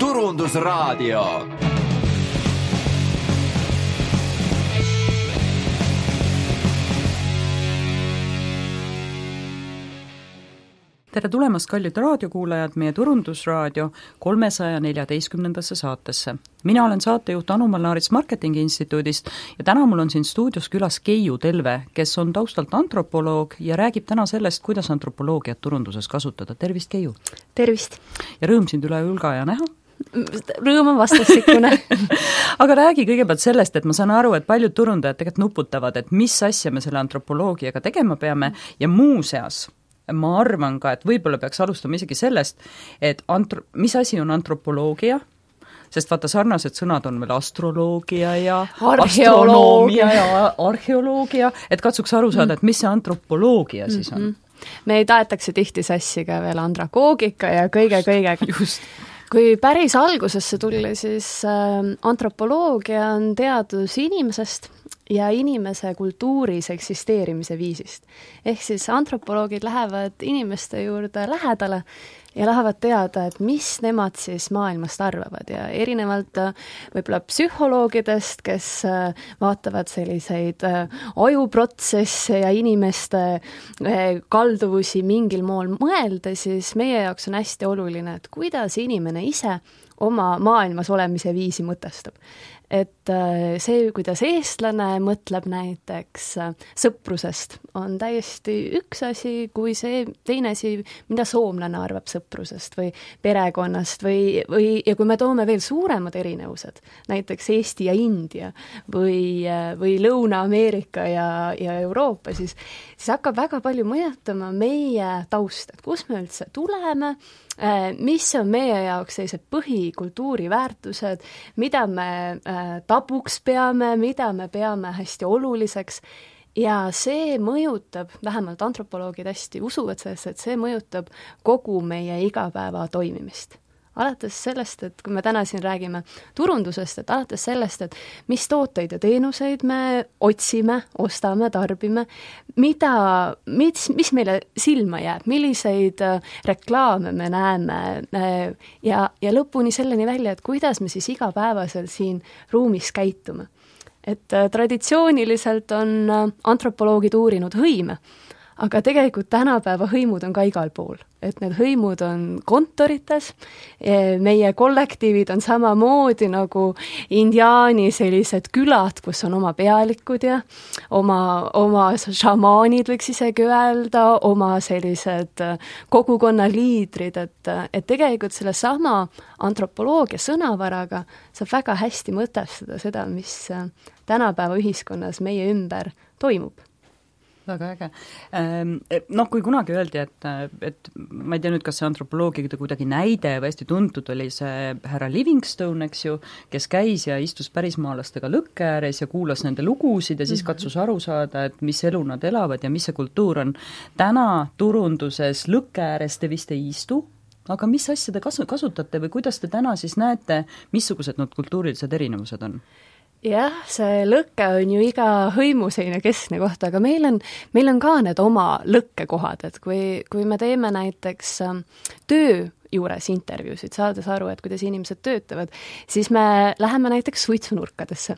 Turundusraadio. Tere tulemast, kallid raadiokuulajad, meie Turundusraadio 314. saatesse. Mina olen saatejuht Anu Malnaarits Marketingi Instituudist ja täna mul on siin stuudios külas Keiu Telve, kes on taustalt antropoloog ja räägib täna sellest, kuidas antropoloogiat turunduses kasutada. Tervist, Keiu! Tervist! Ja rõõm sind üle Ülga ja näha. Rõõm on vastastikune. Aga räägi kõigepealt sellest, et ma saan aru, et paljud turundajad tegelikult nuputavad, et mis asja me selle antropoloogiaga tegema peame ja muuseas ma arvan ka, et võib-olla peaks alustama isegi sellest, et mis asi on antropoloogia, sest vaata sarnased sõnad on veel astroloogia ja astronoomia ja arheoloogia, et katsuks aru saada, et mis see antropoloogia siis on. Me ei taetakse tihti sassi ka veel andragoogika ja kõige-kõigega. Just. Kui päris algusesse tuli, siis antropoloogia on teadus inimesest ja inimese kultuuris eksisteerimise viisist. Ehk siis antropoloogid lähevad inimeste juurde lähedale ja lähevad teada, et mis nemad siis maailmast arvavad ja erinevalt võib-olla psühholoogidest, kes vaatavad selliseid ajuprotsesse ja inimeste kalduvusi mingil moel mõelda, siis meie jaoks on hästi oluline, et kuidas inimene ise oma maailmas olemise viisi mõtestab. Et see, kuidas eestlane mõtleb näiteks sõprusest, on täiesti üks asi, kui see teine asi, mida soomlane arvab sõprusest või perekonnast ja kui me toome veel suuremad erinevused, näiteks Eesti ja India või Lõuna-Ameerika ja Euroopa, siis hakkab väga palju mõjutama meie taust, et kus me üldse tuleme, mis on meie jaoks sellised põhikultuuriväärtused, mida me tabuks peame, mida me peame hästi oluliseks ja see mõjutab, vähemalt antropoloogid hästi usuvad sellesse, et see mõjutab kogu meie igapäeva toimimist. Alates sellest, et kui me täna siin räägime turundusest, et alates sellest, et mis tooteid ja teenuseid me otsime, ostame, tarbime, mis meile silma jääb, milliseid reklaame me näeme ja lõpuni selleni välja, et kuidas me siis igapäevaselt siin ruumis käitume. Et traditsiooniliselt on antropoloogid uurinud hõime, aga tegelikult tänapäeva hõimud on ka igal pool, et need hõimud on kontorites, meie kollektiivid on samamoodi nagu indiaani sellised külad, kus on oma pealikud ja oma šamaanid võiks isegi öelda, oma sellised kogukonna liidrid, et tegelikult selle sama antropoloogia sõnavaraga saab väga hästi mõtestada seda, mis tänapäeva ühiskonnas meie ümber toimub. Väga äge. Kui kunagi öeldi, et ma ei tea nüüd, kas see antropoloogia kuidagi näide või hästi tuntud oli see härra Livingstone, eks ju, kes käis ja istus pärismaalastega lõkke ääres ja kuulas nende lugusid ja siis katsus aru saada, et mis elu nad elavad ja mis see kultuur on. Täna turunduses lõkke ääres te vist ei istu, aga mis asja te kasutate või kuidas te täna siis näete, missugused need kultuurilised erinevused on? Jah, see lõkke on ju iga hõimu selline keskne koht, aga meil on ka need oma lõkkekohad, et kui me teeme näiteks töö juures intervjuusid, saades aru, et kuidas inimesed töötavad, siis me läheme näiteks suitsunurkadesse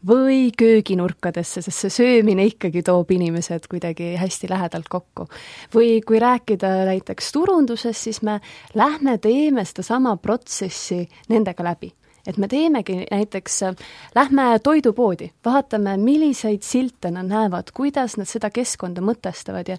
või kööginurkadesse, sest see söömine ikkagi toob inimesed kuidagi hästi lähedalt kokku. Või kui rääkida näiteks turundusest, siis me teeme seda sama protsessi nendega läbi. Et me teemegi näiteks, lähme toidupoodi, vaatame, milliseid silte nad näevad, kuidas nad seda keskkonda mõtestavad ja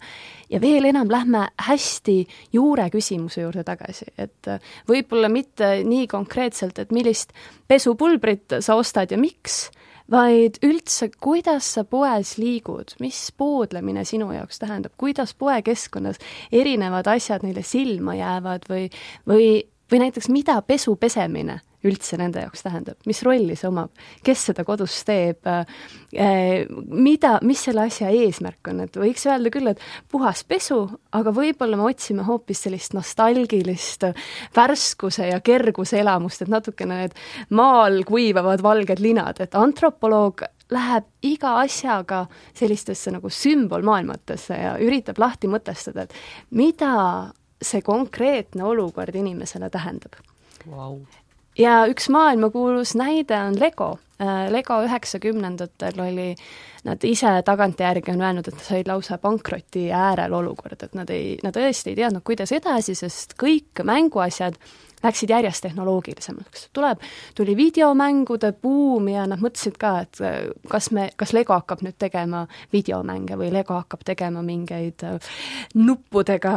veel enam lähme hästi juure küsimuse juurde tagasi, et võib-olla mitte nii konkreetselt, et millist pesupulbrit sa ostad ja miks, vaid üldse, kuidas sa poes liigud, mis poodlemine sinu jaoks tähendab, kuidas poekeskkonnas erinevad asjad neile silma jäävad või näiteks mida pesu pesemine üldse nende jaoks tähendab, mis rolli see omab, kes seda kodus teeb, mis selle asja eesmärk on, et võiks öelda küll, et puhas pesu, aga võib-olla me otsime hoopis sellist nostalgilist värskuse ja kerguse elamust, et natukene need maal kuivavad valged linad, et antropoloog läheb iga asjaga sellistesse nagu sümbolmaailmatesse ja üritab lahti mõtestada, et mida see konkreetne olukord inimesele tähendab. Wow. ja üks maailmakuulus näide on Lego. Lego 90ndatel oli, nad ise tagantjärgi on öelnud, et nad said lausa pankroti äärel olukord, et nad tõesti ei teadnud, kuidas edasi, sest kõik mänguasjad läksid järjest tehnoloogilisemaks. Tuli videomängude buum ja nad mõtlesid ka, et kas Lego hakkab nüüd tegema videomänge või Lego hakkab tegema mingeid nuppudega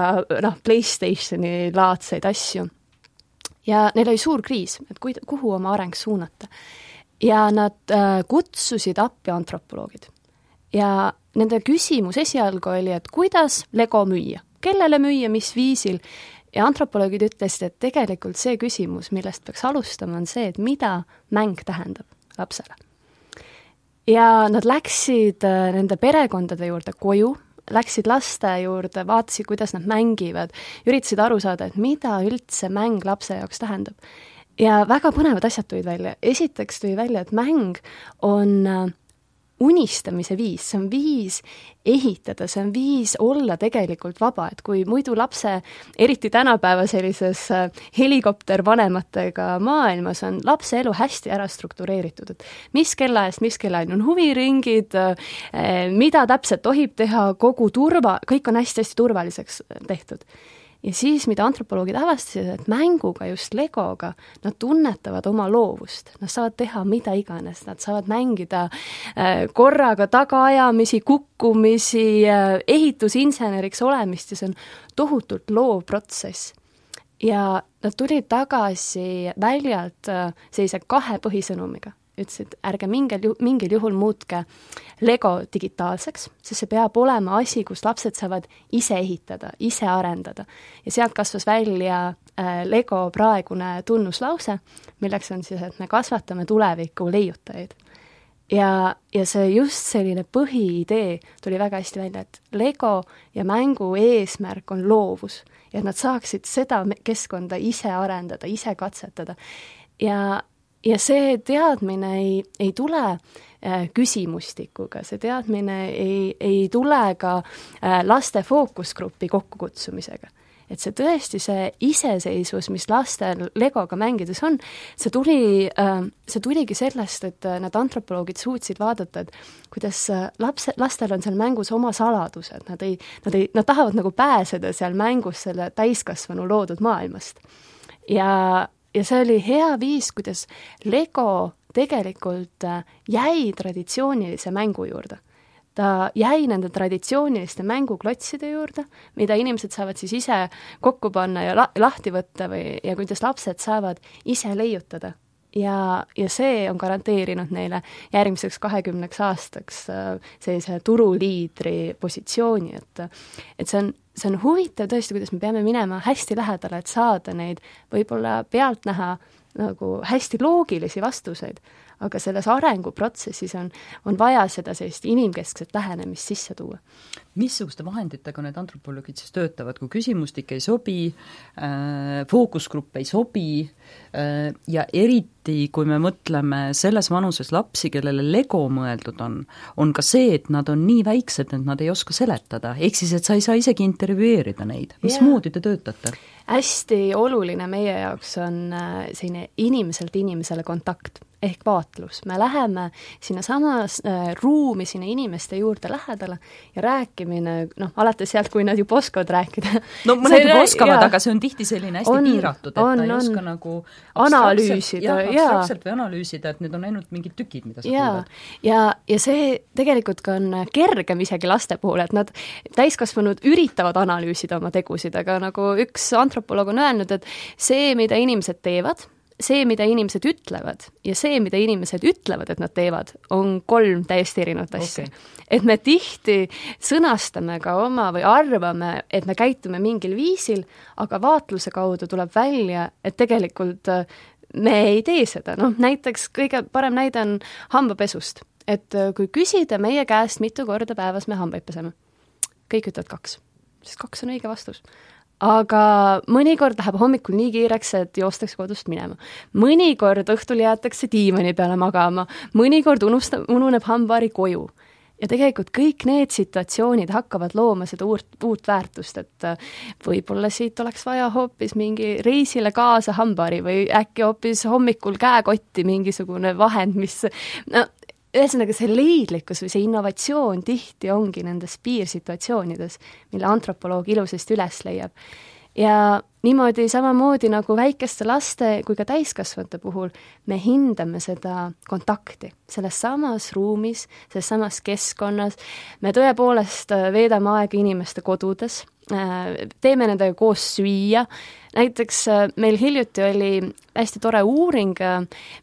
PlayStationi laadseid asju. Ja neil oli suur kriis, et kuhu oma areng suunata. Ja nad kutsusid appi antropoloogid. Ja nende küsimus esialgu oli, et kuidas Lego müüa, kellele müüa, mis viisil. Ja antropoloogid ütlesid, et tegelikult see küsimus, millest peaks alustama, on see, et mida mäng tähendab lapsele. Ja nad läksid nende perekondade juurde koju, läksid laste juurde, vaatasid, kuidas nad mängivad, üritasid aru saada, et mida üldse mäng lapse jaoks tähendab. Ja väga põnevad asjad tulid välja. Esiteks tuli välja, et mäng on unistamise viis, see on viis ehitada, see on viis olla tegelikult vaba, et kui muidu lapse, eriti tänapäeva sellises helikoptervanematega maailmas on lapse elu hästi ära struktureeritud, et mis kellaajast on huviringid, mida täpselt tohib teha, kõik on hästi-hästi turvaliseks tehtud. Ja siis, mida antropoloogid avastasid, et mänguga, just Legoga, nad tunnetavad oma loovust. Nad saavad teha mida iganes, nad saavad mängida korraga tagaajamisi, kukkumisi, ehitusinseneriks olemist ja see on tohutult loov protsess. Ja nad tulid tagasi väljalt sellise 2 põhisõnumiga. Ütlesid, ärge mingil juhul muutke Lego digitaalseks, sest see peab olema asi, kus lapsed saavad ise ehitada, ise arendada. Ja sealt kasvas välja Lego praegune tunnuslause, milleks on siis, et me kasvatame tuleviku leiutajaid. Ja see just selline põhiidee tuli väga hästi välja, et Lego ja mängu eesmärk on loovus ja nad saaksid seda keskkonda ise arendada, ise katsetada. Ja see teadmine ei tule küsimustikuga, see teadmine ei tule ka laste fookusgrupi kokkukutsumisega. Et see tõesti see iseseisvus, mis lastel Legoga mängides on, see tuligi sellest, et need antropoloogid suutsid vaadata, et kuidas lastel on seal mängus oma saladused, nad tahavad nagu pääseda seal mängus selle täiskasvanu loodud maailmast. Ja see oli hea viis, kuidas Lego tegelikult jäi traditsioonilise mängu juurde. Ta jäi nende traditsiooniliste mänguklotside juurde, mida inimesed saavad siis ise kokku panna ja lahti võtta ja kuidas lapsed saavad ise leiutada. Ja see on garanteerinud neile järgmiseks 20 aastaks sellise turuliidri positsiooni, et see on huvitav tõesti, kuidas me peame minema hästi lähedale, et saada neid võib-olla pealt näha nagu hästi loogilisi vastuseid, aga selles arenguprotsessis on vaja seda sellist inimkeskset lähenemist sisse tuua. Missuguste vahenditega need antropoloogid siis töötavad, kui küsimustik ei sobi, fookusgrupp ei sobi ja eriti, kui me mõtleme selles vanuses lapsi, kellele Lego mõeldud on ka see, et nad on nii väiksed, et nad ei oska seletada, ehk siis, et sa ei saa isegi intervjueerida neid. Mismoodi te töötate? Hästi oluline meie jaoks on selline inimeselt inimesele kontakt ehk vaatlus. Me läheme sinna samas ruumi, sinna inimeste juurde lähedale ja rääkimine, alates sealt, kui nad juba oskavad rääkida. No mõned juba oskavad, aga see on tihti selline hästi piiratud, et ta ei oska nagu analüüsida. Abstraktselt või analüüsida, et need on ainult mingid tükid, mida sa kuulad. Ja see tegelikult ka on kergem isegi laste puhul, et nad täiskasvanud üritavad analüüsida oma tegusid, aga nagu üks antropoloog on öelnud, et see, mida inimesed teevad, see, mida inimesed ütlevad ja see, mida inimesed ütlevad, et nad teevad, on 3 täiesti erinevat asja. Okay. Et me tihti sõnastame ka oma või arvame, et me käitume mingil viisil, aga vaatluse kaudu tuleb välja, et tegelikult me ei tee seda. Näiteks kõige parem näide on hambapesust. Et kui küsida meie käest, mitu korda päevas me hambaid peseme, kõik ütlevad 2, sest 2 on õige vastus. Aga mõnikord läheb hommikul nii kiireks, et joostakse kodust minema. Mõnikord õhtul jäetakse diivani peale magama, mõnikord ununeb hambaari koju. ja tegelikult kõik need situatsioonid hakkavad looma seda uut väärtust, et võib-olla siit oleks vaja hoopis mingi reisile kaasa hambari või äkki hoopis hommikul käekotti mingisugune vahend, mis ühesõnaga see leidlikkus või see innovatsioon tihti ongi nendes piirsituatsioonides, mille antropoloog ilusasti üles leiab. Ja niimoodi samamoodi nagu väikeste laste kui ka täiskasvanute puhul me hindame seda kontakti selles samas ruumis, selles samas keskkonnas, me tõepoolest veedame aega inimeste kodudes, teeme nendega koos süüa, näiteks meil hiljuti oli hästi tore uuring,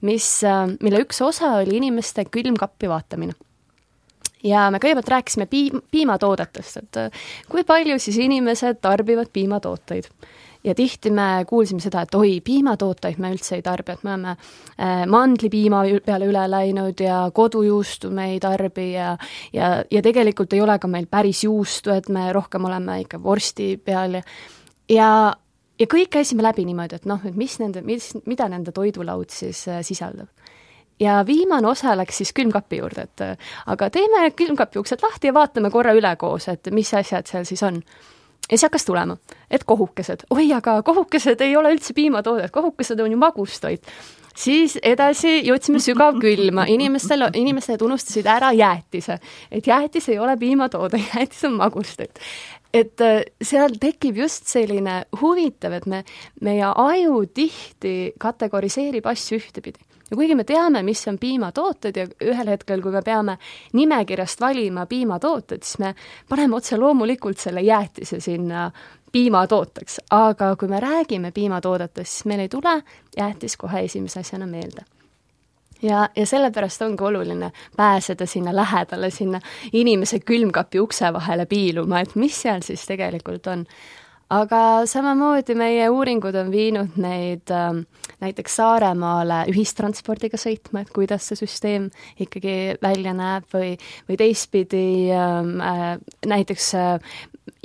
mille üks osa oli inimeste külmkappi vaatamine. Ja me kõigepealt rääkisime piimatoodetest, et kui palju siis inimesed tarbivad piimatooteid. Ja tihti me kuulsime seda, et oi, piimatooteid me üldse ei tarbi, et me oleme mandlipiima peale üle läinud ja kodujuustu me ei tarbi ja tegelikult ei ole ka meil päris juustu, et me rohkem oleme ikka vorsti peal ja kõik käisime läbi niimoodi, et noh, et mida nende toidulaud siis sisaldab. Ja viimane osa läks siis külmkapi juurde, et aga teeme külmkapi uksed lahti ja vaatame korra üle koos, et mis asjad seal siis on. Ja see hakkas tulema, et kohukesed. Oi, aga kohukesed ei ole üldse piimatoodet, kohukesed on ju magustoit. Siis edasi jõudsime sügav külma, inimestele unustasid ära jäätise, et jäätis ei ole piimatoode, jäätis on magustoit. Et seal tekib just selline huvitav, et meie aju tihti kategoriseerib asju ühtepidi. Ja kuigi me teame, mis on piimatooted ja ühel hetkel, kui me peame nimekirjast valima piimatooted, siis me paneme otse loomulikult selle jäätise sinna piimatooteks. Aga kui me räägime piimatoodetest, siis meil ei tule jäätis kohe esimese asjana meelde. Ja sellepärast ongi oluline pääseda sinna lähedale, sinna inimese külmkapi ukse vahele piiluma, et mis seal siis tegelikult on. Aga samamoodi meie uuringud on viinud neid näiteks Saaremaale ühistranspordiga sõitma, et kuidas see süsteem ikkagi välja näeb või teistpidi näiteks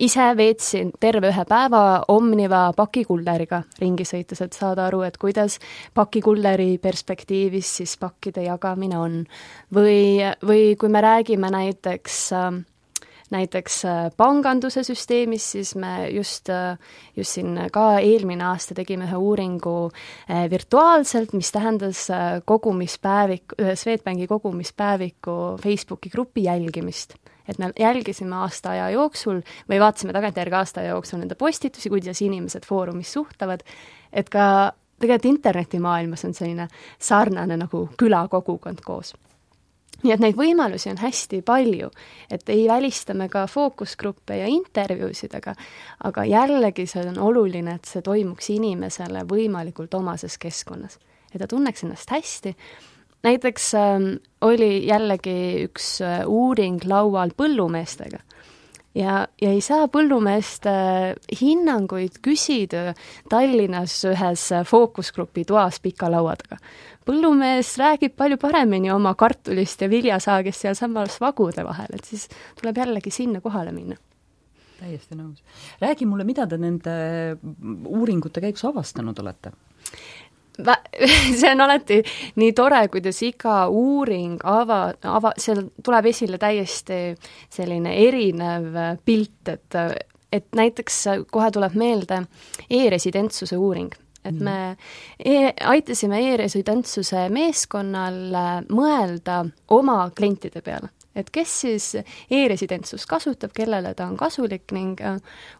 ise veetsin terve ühe päeva Omniva pakikulleriga ringi sõites, et saada aru, et kuidas pakikulleri perspektiivis siis pakkide jagamine on. Või kui me räägime näiteks panganduse süsteemis, siis me just siin ka eelmine aasta tegime ühe uuringu virtuaalselt, mis tähendas Swedbanki kogumispäeviku Facebooki grupi jälgimist. Et me jälgisime aasta aja jooksul või vaatasime tagantjärgi aasta aja jooksul nende postitusi, kuidas inimesed foorumis suhtavad, et ka tegelikult internetimaailmas on selline sarnane nagu külakogukond koos. Nii et neid võimalusi on hästi palju, et ei välistame ka fookusgruppe ja intervjuusid, aga jällegi see on oluline, et see toimuks inimesele võimalikult omases keskkonnas. Et ta tunneks ennast hästi. Näiteks oli jällegi üks uuring laual põllumeestega. Ja ei saa põllumeeste hinnanguid küsida Tallinnas ühes fookusgrupi toas pika laua taga. Põllumees räägib palju paremini oma kartulist ja viljasaagist seal samas vagude vahel, et siis tuleb jällegi sinna kohale minna. Täiesti nõus. Räägi mulle, mida te nende uuringute käigus avastanud olete? See on alati nii tore, kuidas iga uuring seal tuleb esile täiesti selline erinev pilt, et näiteks kohe tuleb meelde e-residentsuse uuring. Et me aitasime e-residentsuse meeskonnal mõelda oma klientide peale. Et kes siis e-residentsust kasutab, kellele ta on kasulik ning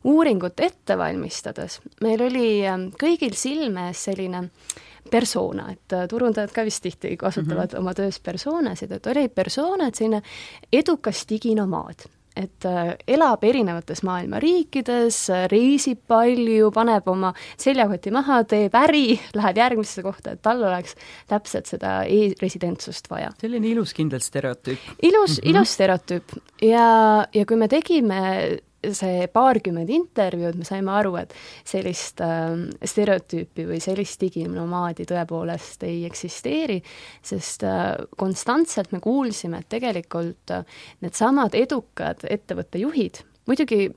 uuringut ette valmistades. Meil oli kõigil silme selline persona, et turundajad ka vist tihti kasutavad oma töös persoonasid, et oli persona, et selline edukas diginomaad. Et elab erinevates maailma riikides, reisib palju, paneb oma seljakoti maha, teeb äri, läheb järgmisse kohta, et tal oleks täpselt seda e-residentsust vaja. Selline ilus kindel stereotüüp. Ilus stereotüüp. Ja kui me tegime see paarkümmend intervjuud, me saime aru, et sellist stereotüüpi või sellist diginomaadi tõepoolest ei eksisteeri, sest konstantselt me kuulsime, et tegelikult need samad edukad ettevõtte juhid, muidugi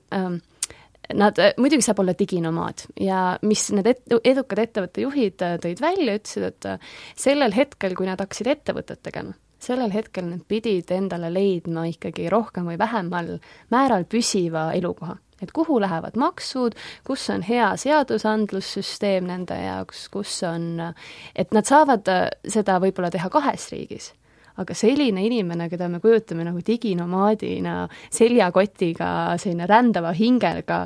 saab olla diginomaad ja mis need edukad ettevõtte juhid tõid välja, ütlesid, et sellel hetkel, kui nad hakkasid ettevõtet tegema, sellel hetkel need pidid endale leidma ikkagi rohkem või vähemal määral püsiva elukoha. Et kuhu lähevad maksud, kus on hea seadusandlussüsteem nende jaoks, kus on, et nad saavad seda võib-olla teha 2 riigis, aga selline inimene, keda me kujutame nagu diginomaadina, seljakotiga, selline rändava hingega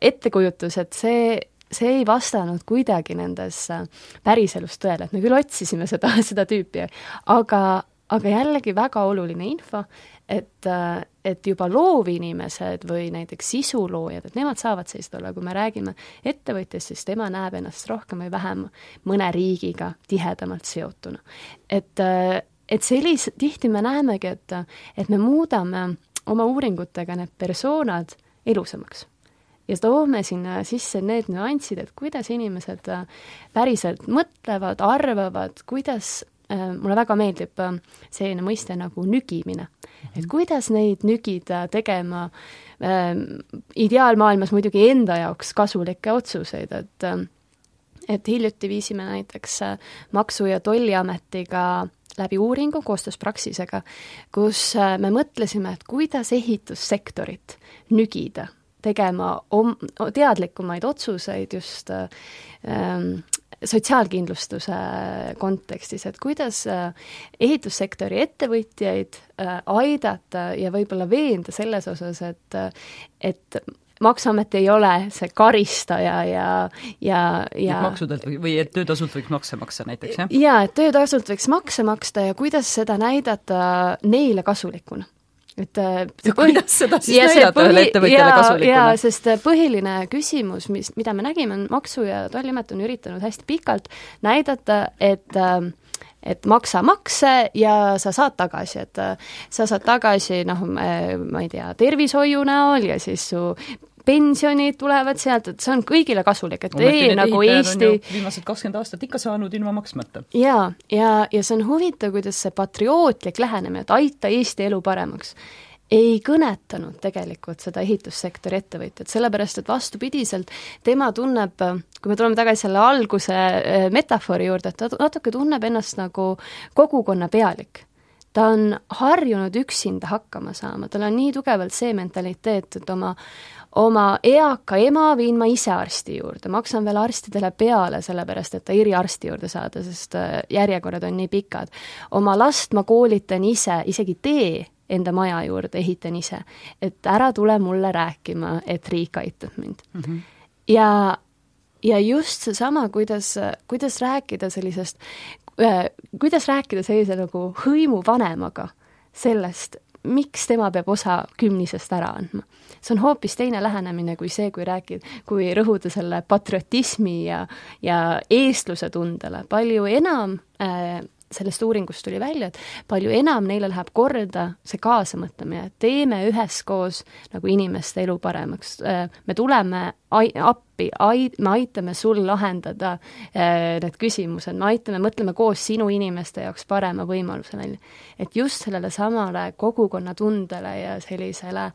ettekujutus, et see ei vastanud kuidagi nendes päriselus tõele, et me küll otsisime seda tüüpi, aga jällegi väga oluline info, et juba loovinimesed või näiteks sisuloojad, et nemad saavad sellist olla, kui me räägime ettevõtjast, siis tema näeb ennast rohkem või vähem mõne riigiga tihedamalt seotuna. Et tihti me näemegi, et me muudame oma uuringutega need persoonad elusamaks. Ja toome sinna sisse need nüansid, et kuidas inimesed päriselt mõtlevad, arvavad, kuidas mulle väga meeldib selline mõiste nagu nügimine. Et kuidas neid nügida tegema ideaalmaailmas muidugi enda jaoks kasulikke otsuseid, et hiljuti viisime näiteks Maksu- ja Tolliametiga läbi uuringu koostöös Praxisega, kus me mõtlesime, et kuidas ehitussektorit nügida, tegema teadlikumaid otsuseid just sotsiaalkindlustuse kontekstis, et kuidas ehitussektori ettevõtjaid aidata ja võib-olla veenda selles osas, et Maksuamet ei ole see karistaja ja maksudelt või et töötasult võiks makse maksta näiteks, jah? Jaa, et töötasult võiks makse maksta ja kuidas seda näidata neile kasulikuna. Kuidas seda siis näidata ühele ettevõtjale kasulikuna? Jaa, sest põhiline küsimus, mida me nägime, on Maksu- ja Tolliamet on üritanud hästi pikalt näidata, et maksa makse ja sa saad tagasi, et sa saad tagasi, ma ei tea, tervishoiu näol ja siis su pensionid tulevad sealt, et see on kõigile kasulik, et nagu Eesti viimased 20 aastat ikka saanud ilma maksmata. Ja see on huvitav, kuidas see patriootlik lähenemine, et aita Eesti elu paremaks, ei kõnetanud tegelikult seda ehitussektori ettevõtjat, sellepärast et vastupidiselt tema tunneb, kui me tuleme tagasi selle alguse metafoori juurde, et ta natuke tunneb ennast nagu kogukonna pealik. Ta on harjunud üksinda hakkama saama, tal on nii tugevalt see mentaliteet, et oma eaka ema viin ma ise arsti juurde, maksan veel arstidele peale, sellepärast et ta eriarsti juurde saada, sest järjekorrad on nii pikad. Oma last ma koolitan ise, isegi tee enda maja juurde ehitan ise, et ära tule mulle rääkima, et riik aitab mind. Mm-hmm. Ja just seesama, kuidas rääkida sellisest, kuidas rääkida sellise nagu hõimuvanemaga sellest, miks tema peab osa 10-sest ära andma. See on hoopis teine lähenemine kui see, kui rõhuda selle patriotismi ja eestluse tundele. Palju enam sellest uuringust tuli välja, et palju enam neile läheb korda see kaasamõtlemine, et teeme üheskoos nagu inimeste elu paremaks. Me tuleme appi, me aitame sul lahendada need küsimused, me mõtleme koos sinu inimeste jaoks parema võimaluse välja. Et just sellele samale kogukonnatundele ja sellisele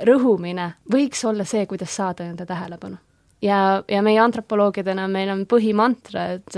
rõhumine võiks olla see, kuidas saada nende tähelepanu. Ja meie antropoloogidena meil on põhimantra, et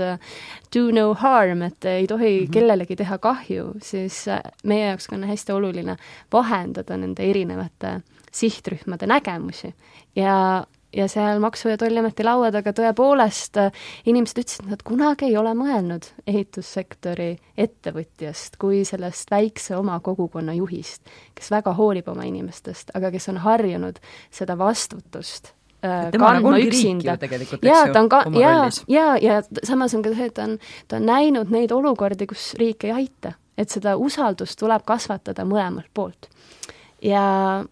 do no harm, et ei tohi kellelegi teha kahju, siis meie jaoks on hästi oluline vahendada nende erinevate sihtrühmade nägemusi. Ja seal Maksu- ja Tolliameti laua taga tõepoolest inimesed ütlesid, et nad kunagi ei ole mõelnud ehitussektori ettevõtjast kui sellest väikse oma kogukonna juhist, kes väga hoolib oma inimestest, aga kes on harjunud seda vastutust kandma üksinda. Ja samas on ka see, et ta on näinud neid olukordi, kus riik ei aita, et seda usaldust tuleb kasvatada mõlemalt poolt. Ja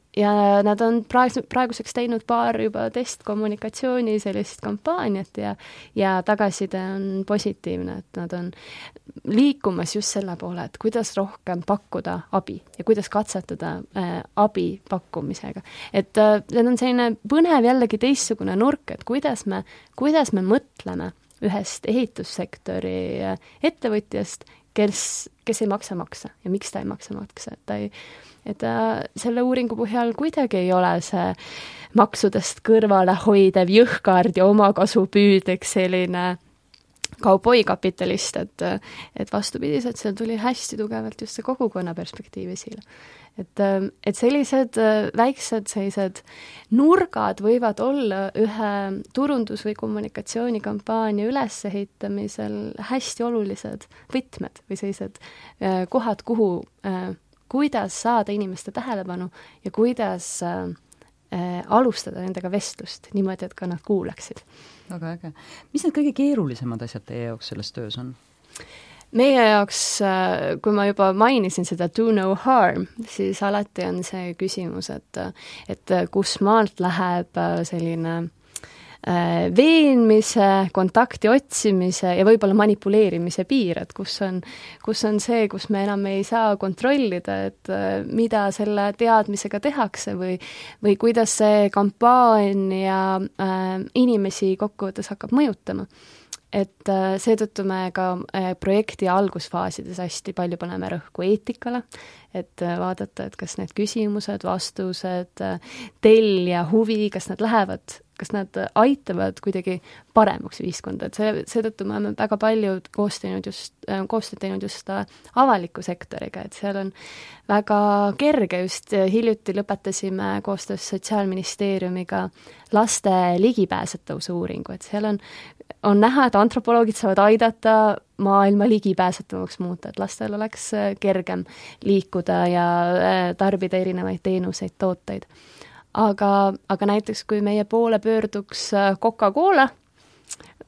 nad on praeguseks teinud paar juba testkommunikatsiooni sellist kampaaniat ja tagasiside on positiivne, et nad on liikumas just selle poole, et kuidas rohkem pakkuda abi ja kuidas katsetada abi pakkumisega. Et need on selline põnev jällegi teistsugune nurk, et kuidas me mõtleme ühest ehitussektori ettevõtjast, kes ei maksa makse ja miks ta ei maksa makse, et selle uuringu põhjal kuidagi ei ole see maksudest kõrvale hoidev jõhkard ja omakasupüüdlik selline kauboikapitalist, et vastupidiselt seal tuli hästi tugevalt just see kogukonna perspektiiv esile. Et sellised väiksed sellised nurgad võivad olla ühe turundus- või kommunikatsioonikampaania ülesehitamisel hästi olulised võtmed või sellised kohad, kuhu, kuidas saada inimeste tähelepanu ja kuidas alustada nendega vestlust niimoodi, et ka nad kuulaksid. Väga äge. Mis need kõige keerulisemad asjad teie jaoks selles töös on? Meie jaoks, kui ma juba mainisin seda do no harm, siis alati on see küsimus, et kus maalt läheb selline veenmise, kontakti otsimise ja võib-olla manipuleerimise piir, et kus on see, kus me enam ei saa kontrollida, et mida selle teadmisega tehakse või kuidas see kampaania inimesi kokkuvõttes hakkab mõjutama. Et seetõttu me ka projekti algusfaasides hästi palju paneme rõhku eetikale, et vaadata, et kas need küsimused, vastused, tellija huvi, kas nad aitavad kuidagi paremaks ühiskonda, et seetõttu me oleme väga palju koostööd teinud just avaliku sektoriga, et seal on väga kerge, just hiljuti lõpetasime koostöös Sotsiaalministeeriumiga laste ligipääsetavuse uuringu, et seal on näha, et antropoloogid saavad aidata maailma ligipääsetavaks muuta, et lastel oleks kergem liikuda ja tarbida erinevaid teenuseid, tooteid. Aga näiteks, kui meie poole pöörduks Coca-Cola,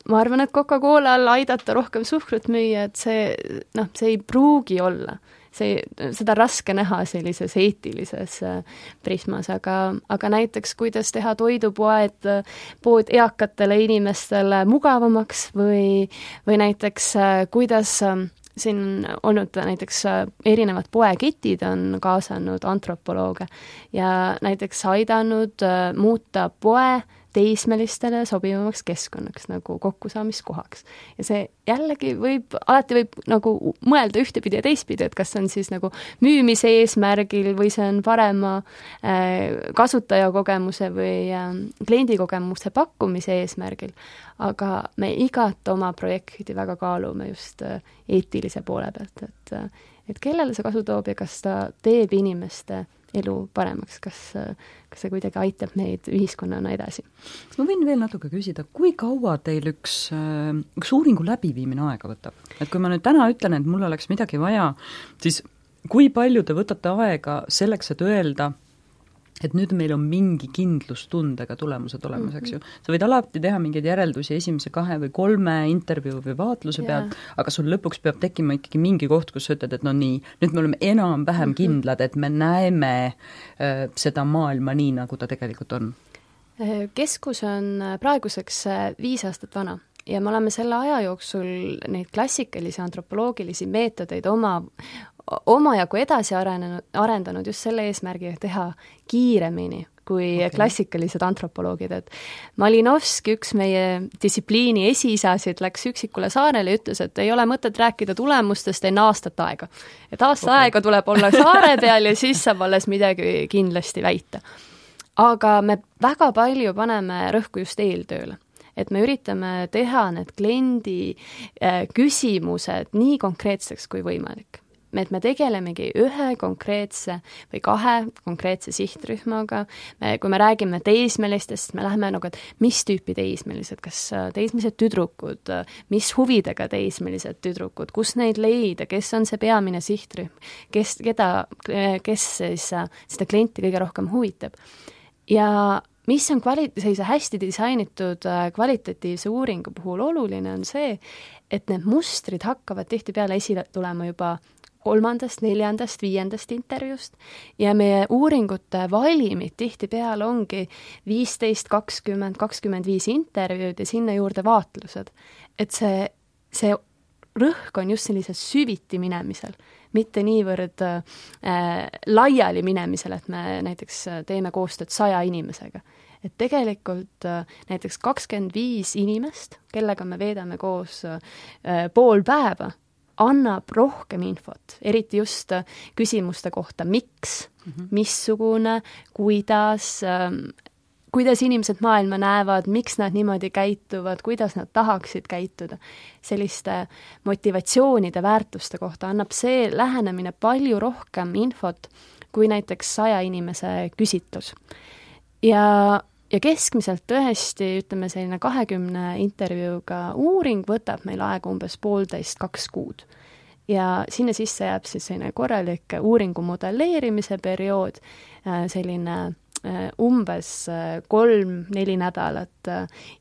ma arvan, et Coca-Colal aidata rohkem suhkrut müüa, et see ei pruugi olla. Seda raske näha sellises eetilises prismas, aga näiteks kuidas teha pood eakatele inimestele mugavamaks või näiteks kuidas siin on olnud näiteks erinevad poeketid on kaasanud antropolooge ja näiteks aidanud muuta poe teismelistele sobivamaks keskkonnaks nagu kokkusaamiskohaks. Ja see jällegi alati võib nagu mõelda ühtepidi ja teistpidi, et kas on siis nagu müümise eesmärgil või see on parema kasutajakogemuse või kliendikogemuse pakkumise eesmärgil, aga me igat oma projekti väga kaalume just eetilise poole pealt, et kellele see kasu toob ja kas ta teeb inimeste elu paremaks, kas see kuidagi aitab meid ühiskonnana edasi. Kas ma võin veel natuke küsida, kui kaua teil üks uuringu läbiviimine aega võtab? Et kui ma nüüd täna ütlen, et mul oleks midagi vaja, siis kui palju te võtate aega selleks, et öelda, et nüüd meil on mingi kindlustundega tulemused olemas, eks ju. Sa võid alati teha mingeid järeldusi esimese 2 või 3 intervjuu või vaatluse pealt, aga sul lõpuks peab tekkima ikkagi mingi koht, kus sa ütled, et no nii, nüüd me oleme enam-vähem kindlad, et me näeme seda maailma nii, nagu ta tegelikult on. Keskus on praeguseks 5 aastat vana ja me oleme selle aja jooksul neid klassikalisi antropoloogilisi meetodeid omajagu edasi arendanud just selle eesmärgiga teha kiiremini kui klassikalised antropoloogid, et Malinovski, üks meie distsipliini esiisasid, läks üksikule saarele ja ütles, et ei ole mõtet rääkida tulemustest enne aastat aega. Et aega tuleb olla saare peal ja siis saab alles midagi kindlasti väita. Aga me väga palju paneme rõhku just eeltööle. Et me üritame teha need kliendi küsimused nii konkreetseks kui võimalik. Et me tegelemegi ühe konkreetse või 2 konkreetse sihtrühmaga. Kui me räägime teismelistest, me läheme nagu, et mis tüüpi teismelised, kas teismelised tüdrukud, mis huvidega teismelised tüdrukud, kus neid leida, kes on see peamine sihtrühm, kes siis seda klienti kõige rohkem huvitab. Ja mis on sellise hästi disainitud kvalitatiivse uuringu puhul oluline on see, et need mustrid hakkavad tihtipeale esile tulema juba 3., 4., 5. intervjuust ja meie uuringute valimid tihtipeale ongi 15, 20, 25 intervjuud ja sinna juurde vaatlused. Et see rõhk on just sellises süviti minemisel, mitte niivõrd laiali minemisel, et me näiteks teeme koostööd 100 inimesega. Et tegelikult näiteks 25 inimest, kellega me veedame koos pool päeva, annab rohkem infot, eriti just küsimuste kohta, miks, missugune, kuidas, kuidas inimesed maailma näevad, miks nad niimoodi käituvad, kuidas nad tahaksid käituda. Selliste motivatsioonide, väärtuste kohta annab see lähenemine palju rohkem infot kui näiteks 100 inimese küsitlus. Ja keskmiselt tõesti, ütleme selline 20 intervjuuga uuring võtab meil aega umbes 1,5–2 kuud. Ja sinna sisse jääb siis selline korralik uuringu modelleerimise periood, selline umbes 3-4 nädalat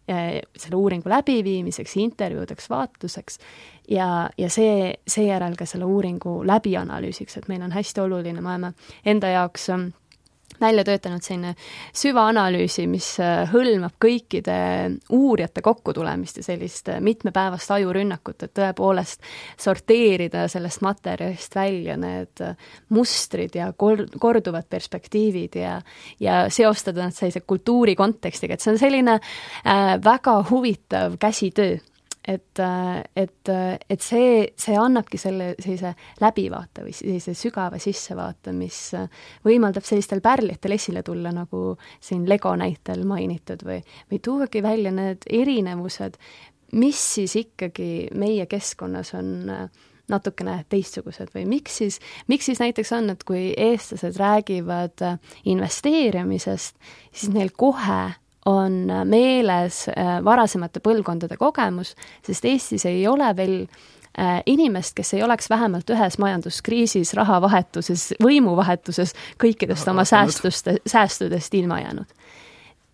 selle uuringu läbiviimiseks, intervjuudeks, vaatluseks ja seejärel ka selle uuringu läbianalüüsiks, et meil on hästi oluline, me oleme enda jaoks välja töötanud selline süvaanalüüsi, mis hõlmab kõikide uurijate kokkutulemist ja sellist mitmepäevast ajurünnakut, et tõepoolest sorteerida sellest materjalist välja need mustrid ja korduvad perspektiivid ja seostada nad sellise kultuuri kontekstiga, et see on selline väga huvitav käsitöö. Et see annabki selle sellise läbivaate või sellise sügava sissevaate, mis võimaldab sellistel pärlitel esile tulla, nagu siin Lego näitel mainitud või tuuagi välja need erinevused, mis siis ikkagi meie keskkonnas on natukene teistsugused või miks siis näiteks on, et kui eestlased räägivad investeerimisest, siis neil kohe on meeles varasemate põlvkondade kogemus, sest Eestis ei ole veel inimest, kes ei oleks vähemalt ühes majanduskriisis, rahavahetuses, võimuvahetuses kõikidest oma säästudest ilma jäänud.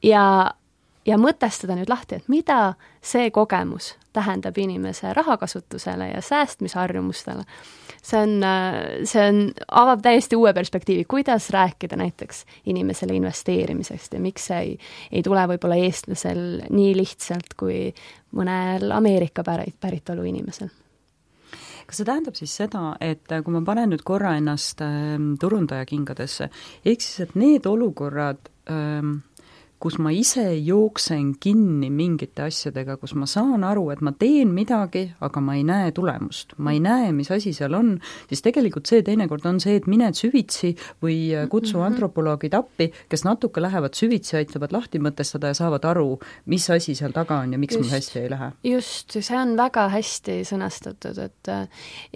Ja mõtestada nüüd lahti, et mida see kogemus tähendab inimese rahakasutusele ja säästmisharjumustele. See avab täiesti uue perspektiivi, kuidas rääkida näiteks inimesele investeerimisest ja miks see ei tule võib-olla eestlasel nii lihtsalt kui mõnel Ameerika päritolu inimesel. Kas see tähendab siis seda, et kui ma panen nüüd korra ennast turundaja kingadesse, ehk siis, et need olukorrad, kus ma ise jooksen kinni mingite asjadega, kus ma saan aru, et ma teen midagi, aga ma ei näe tulemust. Ma ei näe, mis asi seal on, siis tegelikult see teinekord on see, et mined süvitsi või kutsu antropoloogid appi, kes natuke lähevad süvitsi, aitavad lahti mõtestada ja saavad aru, mis asi seal taga on ja miks mul hästi ei lähe. Just, see on väga hästi sõnastatud, et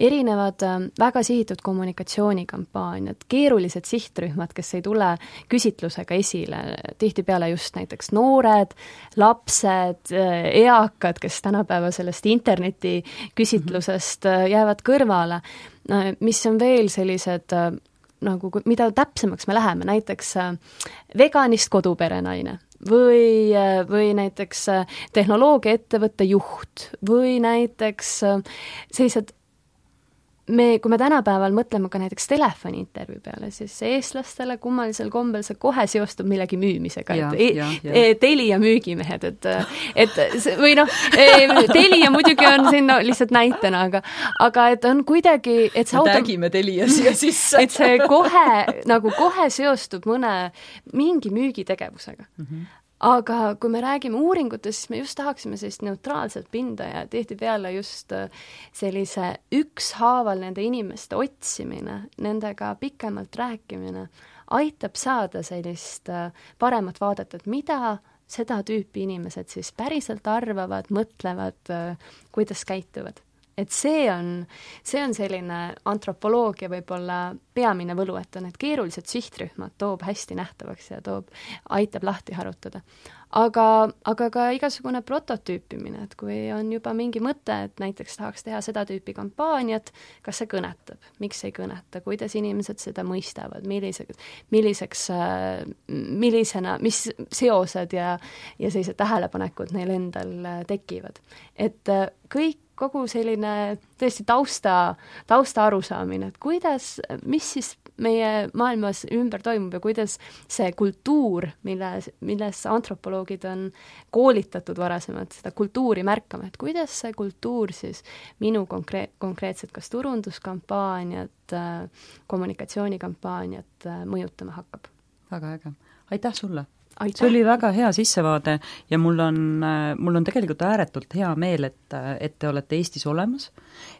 erinevad väga sihitud kommunikatsioonikampaaniad, keerulised sihtrühmad, kes ei tule küsitlusega esile, tihtipeale just näiteks noored, lapsed, eakad, kes tänapäeva sellest interneti küsitlusest jäävad kõrvale, mis on veel sellised, nagu, mida täpsemaks me läheme, näiteks veganist koduperenaine või näiteks tehnoloogiaettevõtte juht või näiteks sellised kui me tänapäeval mõtleme ka näiteks telefoniintervjuu peale, siis eestlastele kummalisel kombel see kohe seostub millegi müümisega, Telia müügimehed, või noh, Telia muidugi on siin lihtsalt näitena, aga et on kuidagi, et see tagime Telia siia sisse. Et see kohe seostub mingi müügitegevusega. Aga kui me räägime uuringutest, siis me just tahaksime sellist neutraalset pinda ja tihtipeale just sellise ükshaaval nende inimeste otsimine, nendega pikemalt rääkimine, aitab saada sellist paremat vaadet, et mida seda tüüpi inimesed siis päriselt arvavad, mõtlevad, kuidas käituvad. Et see on selline antropoloogia võib-olla peamine võlu, et on need keerulised sihtrühmad toob hästi nähtavaks ja aitab lahti harutada. Aga ka igasugune prototüüpimine, et kui on juba mingi mõte, et näiteks tahaks teha seda tüüpi kampaaniat, kas see kõnetab, miks ei kõneta, kuidas inimesed seda mõistavad, mis seosed ja sellised tähelepanekud neil endal tekivad. Et kogu selline tõesti tausta arusaamine, et mis siis meie maailmas ümber toimub ja kuidas see kultuur, milles antropoloogid on koolitatud varasemalt seda kultuuri märkama, et kuidas see kultuur siis minu konkreetselt kas turunduskampaaniat, kommunikatsioonikampaaniat mõjutama hakkab. Väga äge. Aitäh sulle! See oli väga hea sissevaade ja mul on tegelikult ääretult hea meel, et te olete Eestis olemas,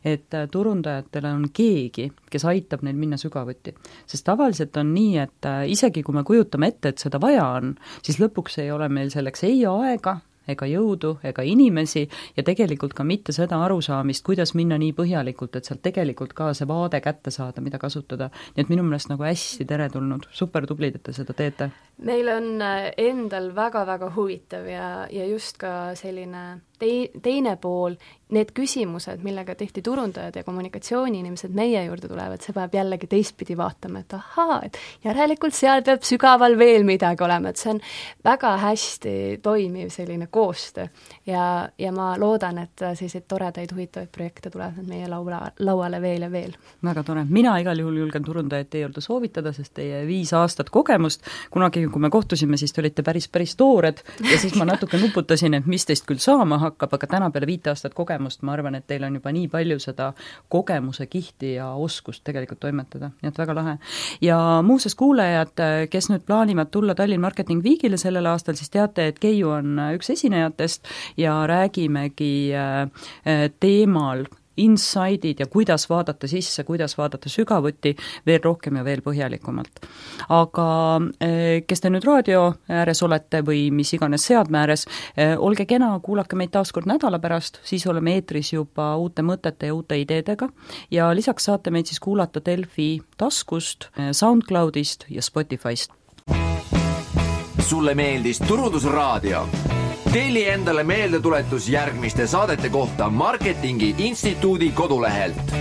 et turundajatel on keegi, kes aitab neil minna sügavuti. Sest tavaliselt on nii, et isegi kui me kujutame ette, et seda vaja on, siis lõpuks ei ole meil selleks ei aega, ega jõudu, ega inimesi ja tegelikult ka mitte seda arusaamist, kuidas minna nii põhjalikult, et sealt tegelikult ka see vaade kätte saada, mida kasutada. Nii et minu meelest nagu hästi teretulnud, super tublid, et te seda teete. Meil on endal väga-väga huvitav ja just ka selline teine pool, need küsimused, millega tihti turundajad ja kommunikatsiooniinimesed meie juurde tulevad, see peab jällegi teistpidi vaatama, et ahaa, et järelikult seal peab sügaval veel midagi olema, et see on väga hästi toimiv selline koostöö ja ma loodan, et selliseid toredaid huvitavaid projekte tulevad meie lauale veel ja veel. Väga tore. Mina igal juhul julgen turundajad teie juurde soovitada, sest teie 5 aastat kogemust, kunagi kui me kohtusime, siis te olite päris toored ja siis ma natuke nuputasin, et mis teist küll saama hakkab, aga täna peale 5 aastat kogemust ma arvan, et teil on juba nii palju seda kogemuse kihti ja oskust tegelikult toimetada, nii et väga lahe. Ja muuseas kuulajad, kes nüüd plaanivad tulla Tallinn Marketing Weekile sellel aastal, siis teate, et Keiu on üks esinejatest ja räägimegi teemal inside'id ja kuidas vaadata sisse, kuidas vaadata sügavuti veel rohkem ja veel põhjalikumalt. Aga kes te nüüd raadio ääres olete või mis iganes seadme ääres, olge kena, kuulake meid taaskord nädala pärast, siis oleme eetris juba uute mõtete ja uute ideedega ja lisaks saate meid siis kuulata Delfi taskust, SoundCloudist ja Spotify'st. Sulle meeldis Turundusraadio? Telli endale meeldetuletus järgmiste saadete kohta Marketingi Instituudi kodulehelt.